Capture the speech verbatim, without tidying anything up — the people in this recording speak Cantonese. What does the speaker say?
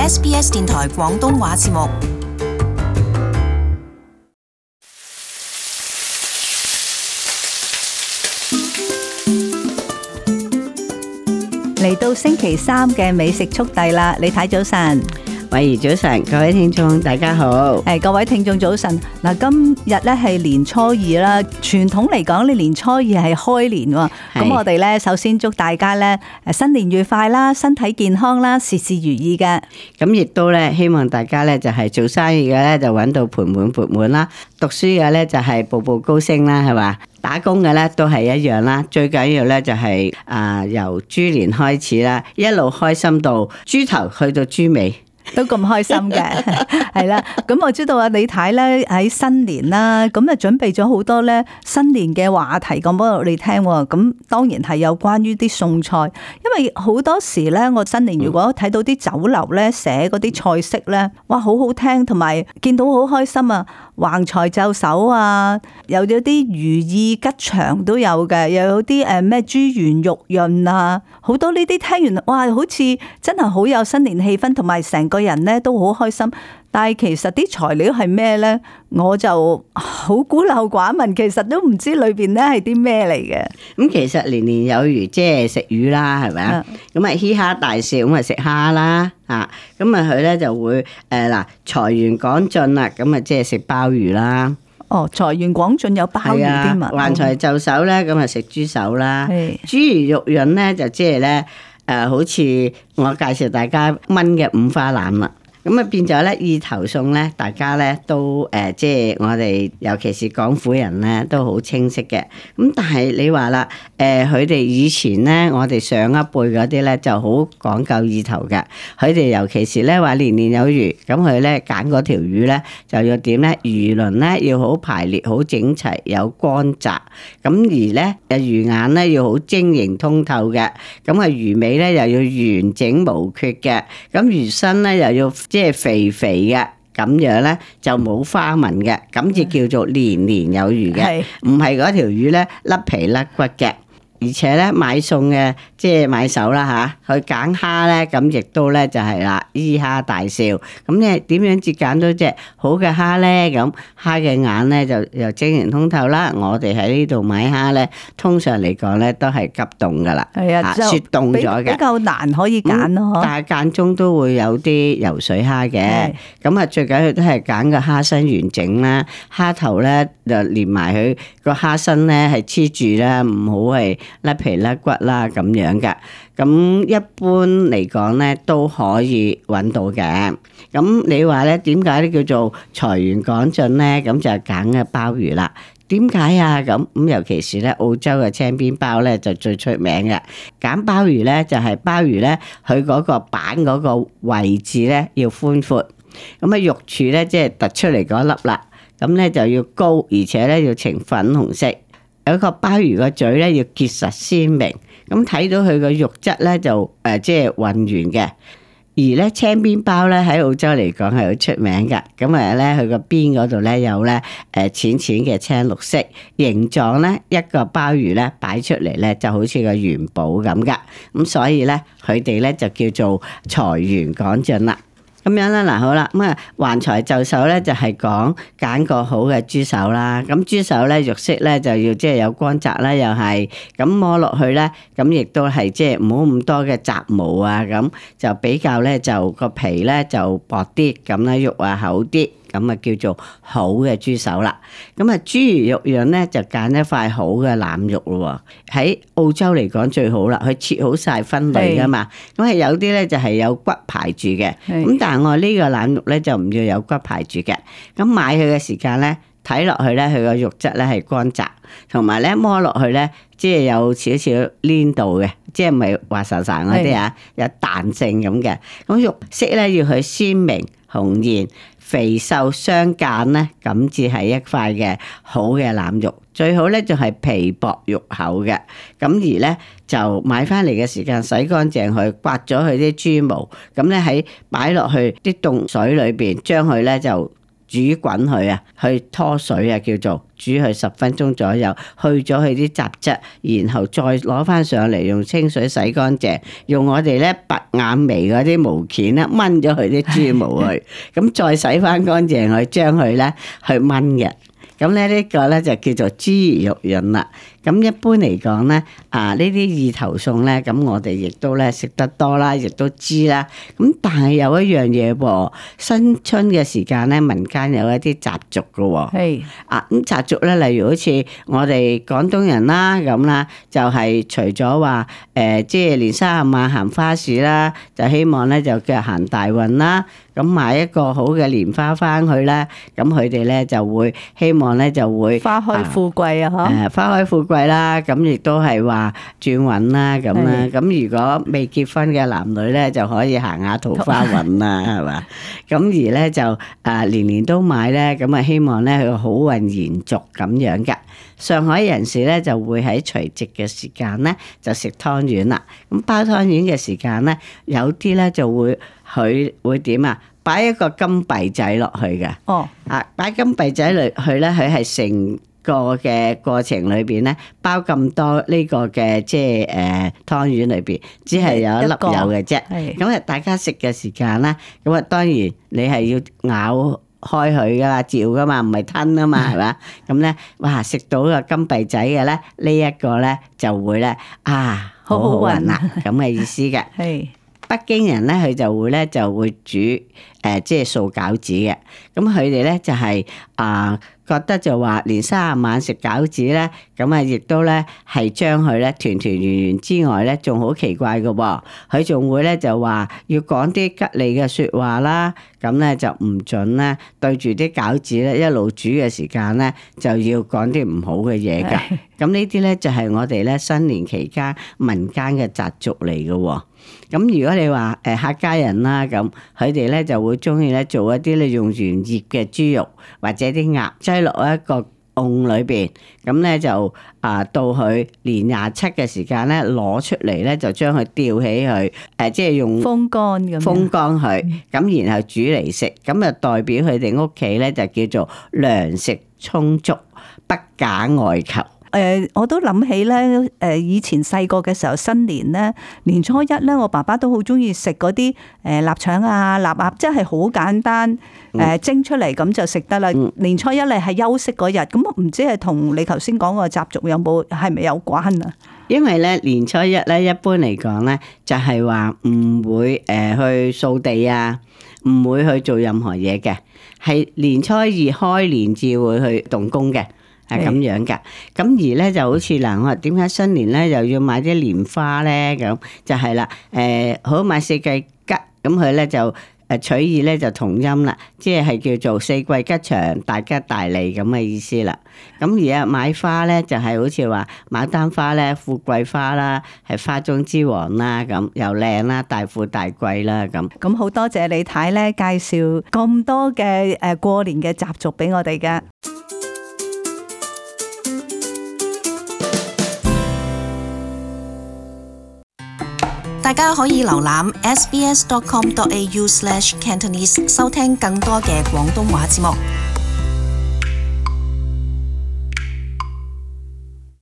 S B S 電台廣東話節目。嚟到星期三嘅美食速遞啦，李太早晨。慧怡早晨，各位聽眾大家好。誒，各位聽眾早晨。嗱，今日咧係年初二啦，傳統嚟講，你年初二係開年喎。咁我哋咧首先祝大家咧誒新年愉快啦，身體健康啦，事事如意嘅。咁亦都咧希望大家咧就係做生意嘅咧就揾到盆滿缽滿啦，讀書嘅咧就係步步高升啦，係嘛？打工嘅咧都係一樣啦，最緊要咧就係啊由豬年開始啦，一路開心到豬頭去到豬尾。都咁開心嘅，係啦。咁我知道啊，李太咧喺新年啦，咁啊準備咗好多咧新年嘅話題講俾我哋聽。咁當然係有關於啲餸菜，因為好多時咧，我新年如果睇到啲酒樓咧寫嗰啲菜式咧，哇，好好聽，同埋見到好開心啊！橫財就手啊，又有啲如意吉祥都有嘅，又有啲誒咩豬圓肉潤啊，好多呢啲聽完哇，好似真係好有新年氣氛，同埋成個人咧都好開心。但係其實啲材料係咩咧？我就好孤陋寡聞，其實都唔知裏邊咧係啲咩嚟嘅。咁其實年年有餘，即係食魚啦，係咪啊？咁啊嘻哈大笑，咁啊食蝦啦，啊咁啊佢咧就會誒嗱財源廣進啦，咁啊即係食鮑魚啦。哦，財源廣進有鮑魚添啊！橫財就手咧，咁啊食豬手啦。係豬魚肉潤咧就即係咧誒，好似我介紹大家炆嘅五花腩啦。咁啊變咗咧意頭餸咧，大家咧都誒、呃，即係我哋尤其是廣府人咧都好清晰嘅。咁但係你話啦，誒佢哋以前咧，我哋上一輩嗰啲咧就好講究意頭嘅。佢哋尤其是咧話年年有餘，咁佢咧揀嗰條魚咧就要點咧？魚鱗咧要好排列、好整齊、有光澤。咁而咧誒魚眼咧要好晶瑩通透嘅。咁啊魚尾咧又要完整無缺嘅。咁魚身咧又要即係肥肥嘅，咁樣咧就冇花紋嘅，咁就叫做年年有餘嘅，唔係嗰條魚咧甩皮甩骨嘅。而且咧買餸嘅即係買手啦嚇，去揀蝦咧，咁亦都咧就係啦，依蝦大笑。咁咧點樣至揀到隻好嘅蝦咧？咁蝦嘅眼咧就又晶瑩通透啦。我哋喺呢度買蝦咧，通常嚟講咧都係急凍噶啦，係啊，雪凍咗嘅，比較難可以揀咯。嗯、但係間中都會有啲游水蝦嘅。咁啊最緊要都係揀個蝦身完整啦，蝦頭咧就連埋佢個蝦身咧係黐住啦，唔好係甩皮甩骨啦咁樣嘅，咁一般嚟講咧都可以揾到嘅。咁你話咧點解咧叫做財源廣進咧？咁就係揀嘅鮑魚啦。點解啊？咁咁尤其是咧澳洲嘅青邊鮑咧就最出名嘅。揀鮑魚咧就係鮑魚咧佢嗰個板嗰個位置咧要寬闊，咁啊肉柱咧即係突出嚟嗰粒啦，咁咧就要高，而且咧要呈粉紅色。有個鮑魚個嘴咧要結實鮮明，咁睇到佢個肉質咧就誒即係混圓嘅。而咧青邊鮑咧喺澳洲嚟講係好出名㗎，咁啊咧佢個邊嗰度咧有咧誒淺淺嘅青綠色形狀咧，一個鮑魚咧擺出嚟咧就好似個元寶咁㗎，咁所以咧佢哋咧就叫做財源廣進啦。咁樣啦，嗱好啦，咁啊橫財就手咧就係講揀個好嘅豬手啦。咁豬手咧肉色咧就要即係有光澤啦，又係咁摸落去咧，咁亦都係即係唔好咁多嘅雜毛啊，咁就比較咧就個皮咧就薄啲，咁咧肉啊厚啲。咁啊叫做好嘅豬手啦，咁啊豬魚肉樣咧就揀一塊好嘅腩肉咯。喺澳洲嚟講最好啦，佢切好晒分類噶嘛，咁係有啲咧就係有骨排住嘅，咁但係我呢個腩肉咧就唔要有骨排住嘅。咁買佢嘅時間咧睇落去咧，佢個肉質咧係乾雜，同埋咧摸落去咧即係有少少黏度嘅，即係唔係滑潺潺嗰啲啊，有彈性咁嘅。咁肉色咧要佢鮮明紅豔。肥瘦相間咧，咁至係一塊嘅好嘅腩肉。最好咧就係皮薄肉厚嘅。咁而咧就買翻嚟嘅時間洗乾淨佢，刮咗佢啲豬毛。咁咧喺擺落去啲凍水裏邊，將佢咧就煮煮滾佢啊，去拖水啊，叫做煮佢十分鐘左右，去咗佢啲雜質，然後再攞翻上嚟用清水洗乾淨，用我哋咧拔眼眉嗰啲毛鉗咧掹咗佢啲豬毛去，咁再洗翻乾淨佢，將佢咧去炆嘅。咁咧呢個咧就叫做豬魚肉潤啦。咁一般嚟講咧，啊呢啲意頭餸咧，咁我哋亦都咧食得多啦，亦都知啦。咁但係有一樣嘢噃，新春嘅時間咧，民間有一啲習俗㗎喎。係啊，咁習俗咧，例如好似我哋廣東人啦咁啦，就係、是、除咗話誒，即係年卅晚行花市啦，就希望咧就叫行大運啦。咁買一個好嘅蓮花翻去咧，咁佢哋咧就會希望咧就會花開富貴啊！嗬、啊，誒花開富貴啦，咁亦都係話轉運啦，咁啦。咁如果未結婚嘅男女咧，就可以行下桃花運啦，係嘛？咁而咧就啊年年都買咧，咁啊希望咧佢好運延續咁樣嘅。上海人士咧就會喺除夕嘅時間咧就食湯圓啦。咁包湯圓嘅時間咧，有啲咧就會佢會點啊？擺一個金幣仔落去嘅。哦，啊擺金幣仔落去咧，佢係成個嘅過程裏邊咧，包咁多呢個嘅即係誒湯圓裏邊，只係有一粒有嘅啫。咁啊，大家食嘅時間咧，咁啊當然你係要咬開佢噶嘛，嚼噶嘛，唔係吞啊嘛，係嘛？咁咧，哇！食到個金幣仔嘅咧，呢一個咧就會咧啊，好好運啦，咁嘅意思嘅。係北京人咧，佢就會咧就會煮誒，即係素餃子嘅。咁佢哋咧就係啊，覺得就話年卅晚食餃子咧，咁啊亦都咧係將佢咧團團圓圓之外咧，仲好奇怪嘅喎。佢仲會咧就話要講啲吉利嘅説話啦，咁咧就唔準咧對住啲餃子咧一路煮嘅時間咧就要講啲唔好嘅嘢㗎。咁呢啲咧就係我哋咧新年期間民間嘅習俗嚟嘅喎。咁如果你話誒客家人啦，咁佢哋咧就會中意咧做一啲咧用完醃嘅豬肉或者啲鴨擠落一個甕裏邊，咁咧就啊到佢年廿七嘅時間咧攞出嚟咧就將佢吊起佢，誒即係用風乾咁風乾佢，咁然後煮嚟食，咁就代表佢哋屋企咧就叫做糧食充足，不假外求。誒、呃，我都諗起咧，誒、呃，以前細個嘅時候，新年咧，年初一咧，我爸爸都好中意食嗰啲誒臘腸啊、臘鴨，即係好簡單，誒、呃、蒸出嚟咁就食得啦。嗯、年初一咧係休息嗰日，咁唔知係同你頭先講個習俗有冇係咪有關啊？因為咧年初一咧，一般嚟講咧，就係話唔會誒去掃地啊，唔會去做任何嘢嘅，係年初二開年至會去動工嘅。係咁樣噶，咁而咧就好似嗱，我話點解新年咧又要買啲蓮花咧？咁就係啦，誒好買四季吉，咁佢咧就誒取意咧就同音啦，即係叫做四季吉祥、大吉大利咁嘅意思啦。咁而家買花咧就係好似話牡丹花咧，富貴花啦，係花中之王啦，咁又靚啦，大富大貴啦，咁。咁好多謝李太咧介紹咁多嘅誒過年嘅習俗俾我哋噶。大家可以瀏覽 s b s dot com dot a u slash cantonese 收聽更多嘅廣東話節目。